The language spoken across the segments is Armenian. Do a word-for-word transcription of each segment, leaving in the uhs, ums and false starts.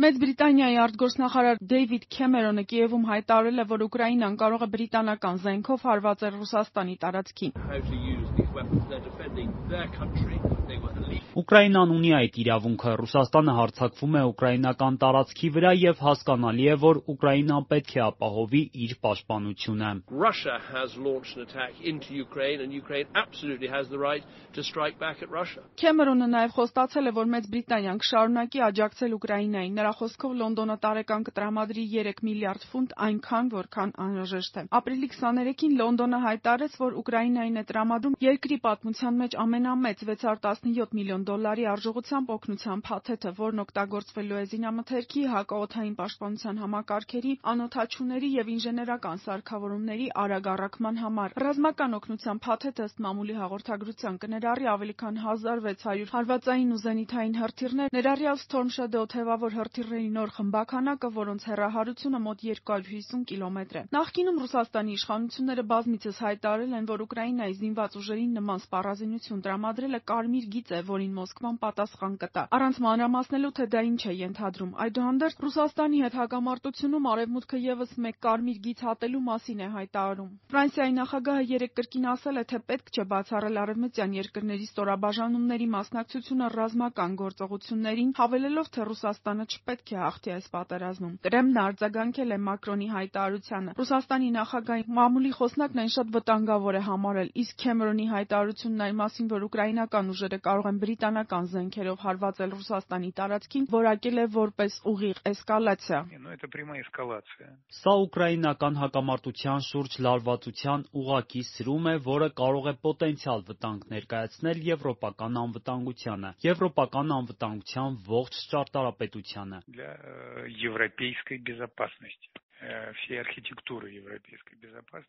Մեծ Բրիտանիայի արտգործնախարար Դեյվիդ Քեմերոնը Կիևում հայտարարել է, որ Ուկրաինան կարող է բրիտանական զենքով հարվածել Ռուսաստանի տարածքին։ Ուկրաինան ունի այդ իրավունքը, Ռուսաստանը հարձակվում է ուկրաինական տարածքի վրա և հասկանալի է, որ Ուկրաինան պետք է ապահովի իր պաշտպանությունը։ Քեմերոնը նաև խոստացել է, որ Մեծ Բրիտանիան կշարունակի աջակցել Ուկրաինային։ Նրա խոսքով Լոնդոնը տարեկան կտրամադրի երեք միլիարդ ֆունտ, այնքան, որքան անհրաժեշտ է։ Ապրիլի քսաներեքին Լոնդոնը հայտարարեց, որ Ուկրաինային է տրամադրում երկրի պատմության մեջ ամենամեծ վեց հարյուր տասնյոթ միլիոն դոլարի արժողությամբ օգնության փաթեթը, որն օգտագործվելու է զինամթերքի, հակաօդային պաշտպանության համակարգերի, անօդաչուների և ինժեներական սարքավորումների արագ առաքման համար։ Ռազմական օգնության փաթեթը ըստ մամուլի հաղորդագրության կներառի ավելի քան հազար վեց հարյուր հարվածային ու զենիթային հրթիռներ, ներառյալ Storm Shadow թևավոր հրթիռների նոր խմբաքանակը, որոնց հեռահարությունը մոտ երկու հարյուր հիսուն կիլոմետր է։ Նախկինում Ռուսաստանի իշխանությունները բազմիցս հայտարարել են, որ Ուկրաինայի զինված ուժերին նման սպառազինություն տրամադրելը կարմիր գիծ է, որին Մոսկվան պատասխան կտա։ Առանց մանրամասնելու, թե դա ինչ է ենթադրում։ Այդուհանդերձ Ռուսաստանի հետ հակամարտությունում Արևմուտքը ևս մեկ կարմիր գիծ հատելու մասին է հայտարարում։ Ֆրանսիայի նախագահը երեկ կրկին ասել է, թե պետք չէ բացառել արևմտյան երկրների ստորաբաժանումների մասնակցությունը ռազմական գործողություններին, հավելելով, թե Ռուսաստանը չպետք է հաղթի այս պատերազմում։ Կրեմլն արձագանքել է Մակրոնի հայտարարությանը։ Ռուսաստանի նախագահի մամուլի խոսնակն այն շատ վտանգավոր է համարել, իսկ Քեմերոնի հայտարարությունն այն մասին, որ ուկրաինական ուժերը կարող են բրիտանական զենքերով հարվածել Ռուսաստանի տարածքին, որակել է որպես ուղիղ էսկալացիա։ Սա ուկրաինական հակամարտության շուրջ լարվածության ուղղակի սրում է, որը կարող է պոտենցիալ վտանգ ներկայացնել եվրոպական անվտանգությանը, եվրոպական անվտանգության ողջ ճարտարապետությանը։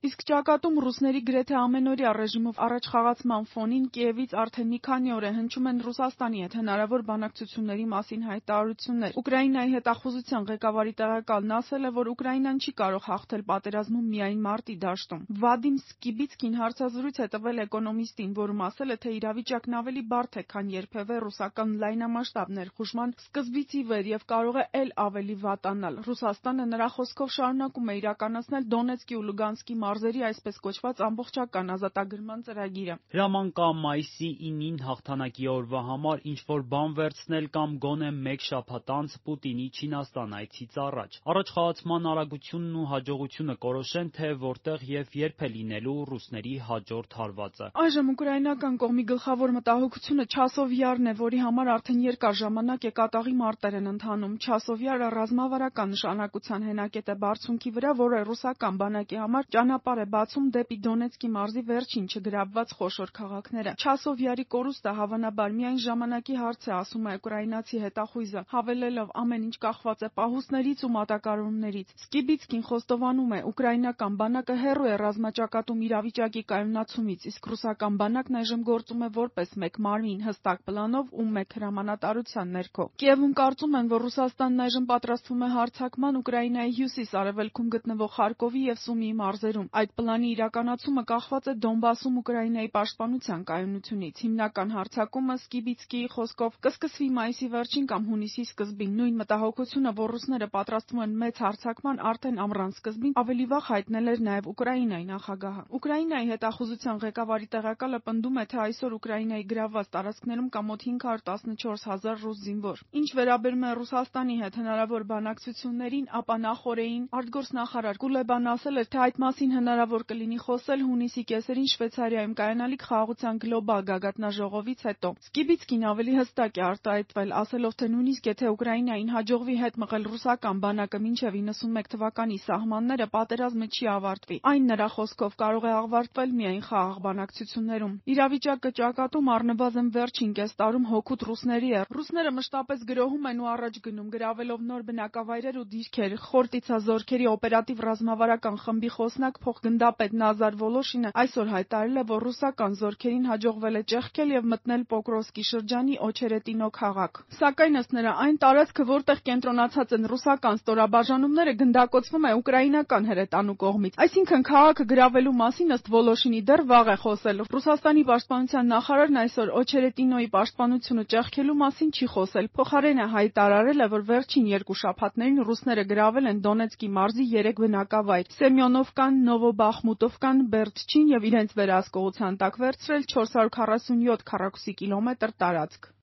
Իսկ ճակատում ռուսների գրեթե ամենօրյա ռեժիմով առաջ խաղացման ֆոնին Կիևից արդեն մի քանի օր է հնչում են Ռուսաստանի հետ հնարավոր բանակցությունների մասին հայտարարություններ։ Ուկրաինայի հետախուզության ղեկավարի տեղակալն ասել է, որ Ուկրաինան չի կարող հաղթել պատերազմում միայն մարտի դաշտում։ Վադիմ Սկիբիցկին հարցազրույց է տվել Էկոնոմիստին, որում ասել է, թե իրավիճակն ավելի բարդ է, քան երբևէ ռուսական լայնամասշտաբ ներխուժման սկզբից ի վեր և կարող է էլ ավելի վատանալ։ Ռուսաստանը նրա խոսքով շարունակում է իրականացնել Դոնեցկի ու Լուգանսկի մարզերի այսպես կոչված ամբողջական ազատագրման ծրագիրը։ Հրաման կա մայիսի ինին հաղթանակի օրվա համար ինչ-որ բան վերցնել կամ գոնե մեկ շաբաթ անց Պուտինի Չինաստան այցից առաջ։ Առաջխաղացման արագությունն ու հաջողությունը կորոշեն, թե որտեղ և երբ է լինելու ռուսների հաջորդ հարվածը։ Այժմ ուկրաինական կողմի գլխավոր մտահոգությունը Չասովյարն է, որի համար արդեն երկար ժամանակ է կատաղի մարտեր են ընթանում։ Չասովյարը ռազմավարական նշանակության հենակետ է բարձունքի վրա, որը ռուսական բանակի համար ճանապարհ է բացում դեպի Դոնեցկի մարզի վերջին չգրավված խոշոր քաղաքները։ Չասովյարի կորուստը հավանաբար միայն ժամանակի հարց է, ասում է ուկրաինացի հետախույզը, հավելելով ամեն ինչ կախված է պահուստներից ու մատակարարումներից։ Սկիբիցկին խոստովանում է, ուկրաինական բանակը հեռու է ռազմաճակատում իրավիճակի կայունացումից, իսկ ռուսական բանակն այժմ գործում է որպես մեկ մարմին, հստակ պլանով ու մեկ հրամանատարության ներքո։ Կիևում կարծում են, որ Ռուսաստանն այժմ պատրաստվում է հարձակման Ուկրաինայի հյուսիս-արևելքում գտնվող Խարկովի և Սումիի մարզերում։ Այդ պլանի իրականացումը կախված է Դոնբասում Ուկրաինայի պաշտպանության կայունությունից։ Հիմնական հարձակումը Սկիբիցկիի խոսքով կսկսվի մայիսի վերջին կամ հունիսի սկզբին։ Նույն մտահոգությունը, որ ռուսները պատրաստվում են մեծ հարձակման արդեն ամռան սկզբին, ավելի վաղ հայտնել էր նաև Ուկրաինայի նախագահը։ Ուկրաինայի հետախուզության ղեկավարի տեղակալը պնդում է, թե այսօր Ուկրաինայի գրավված տարածքներում կա մոտ հինգ հարյուր տասնչորս հազար ռուս զինվոր։ Ինչ վերաբերում է Ռուսաստանի հետ հնարավոր բանակցություններին, ապա նախօրեին արտգործնախարար Կուլեբան ասել էր, թե այդ մասին հնարավոր կլինի խոսել հունիսի կեսերին Շվեյցարիայում կայանալիք խաղաղության գլոբալ գագաթնաժողովից հետո։ Սկիբիցկին ավելի հստակ է արտահայտվել, ասելով, թե նույնիսկ եթե Ուկրաինային հաջողվի հետ մղել ռուսական բանակը մինչև իննսունմեկ թվականի սահմանները, պատերազմը չի ավարտվի։ Այն նրա խոսքով կարող է ավարտվել միայն խաղաղ բանակցություններում։ Իրավիճակը ճակատում առնվազն վերջին կես տարում հօգուտ ռուսների է։ Ռուսները մշտապես գրոհում են ու առաջ գնում, գրավելով նոր բնակավայրեր ու դիրքեր, խորտիցազորձ զորքերի օպերատիվ ռազմավարական խմբի խոսնակ փոխգնդապետ Նազար Վոլոշինը այսօր հայտարարել է, որ ռուսական զորքերին հաջողվել է ճեղքել եւ մտնել Պոկրովսկի շրջանի Օչերետինո քաղաք։ Սակայն ըստ նրա, այն տարածքը, որտեղ կենտրոնացած են ռուսական ստորաբաժանումները, գնդակոծվում է ուկրաինական հրետանու կողմից։ Այսինքն քաղաքը գրավելու մասին ըստ Վոլոշինի դեռ վաղ է խոսել։ Ռուսաստանի պաշտպանության նախարարն այսօր Օչերետինոյի պաշտպանությունը ճեղքելու մասին չի խոսել։ Փոխարենը հայտարարել է, որ վերջին երկու շաբաթներին ռուսները գրավել են Դոնեցկի մարզի երեք բնակավայր՝ Սեմյոնովկան, Նովոբախմուտովկան, Բերդչին եւ իրենց վերահսկողության տակ վերցրել չորս հարյուր քառասունյոթ քառակուսի կիլոմետր տարածք։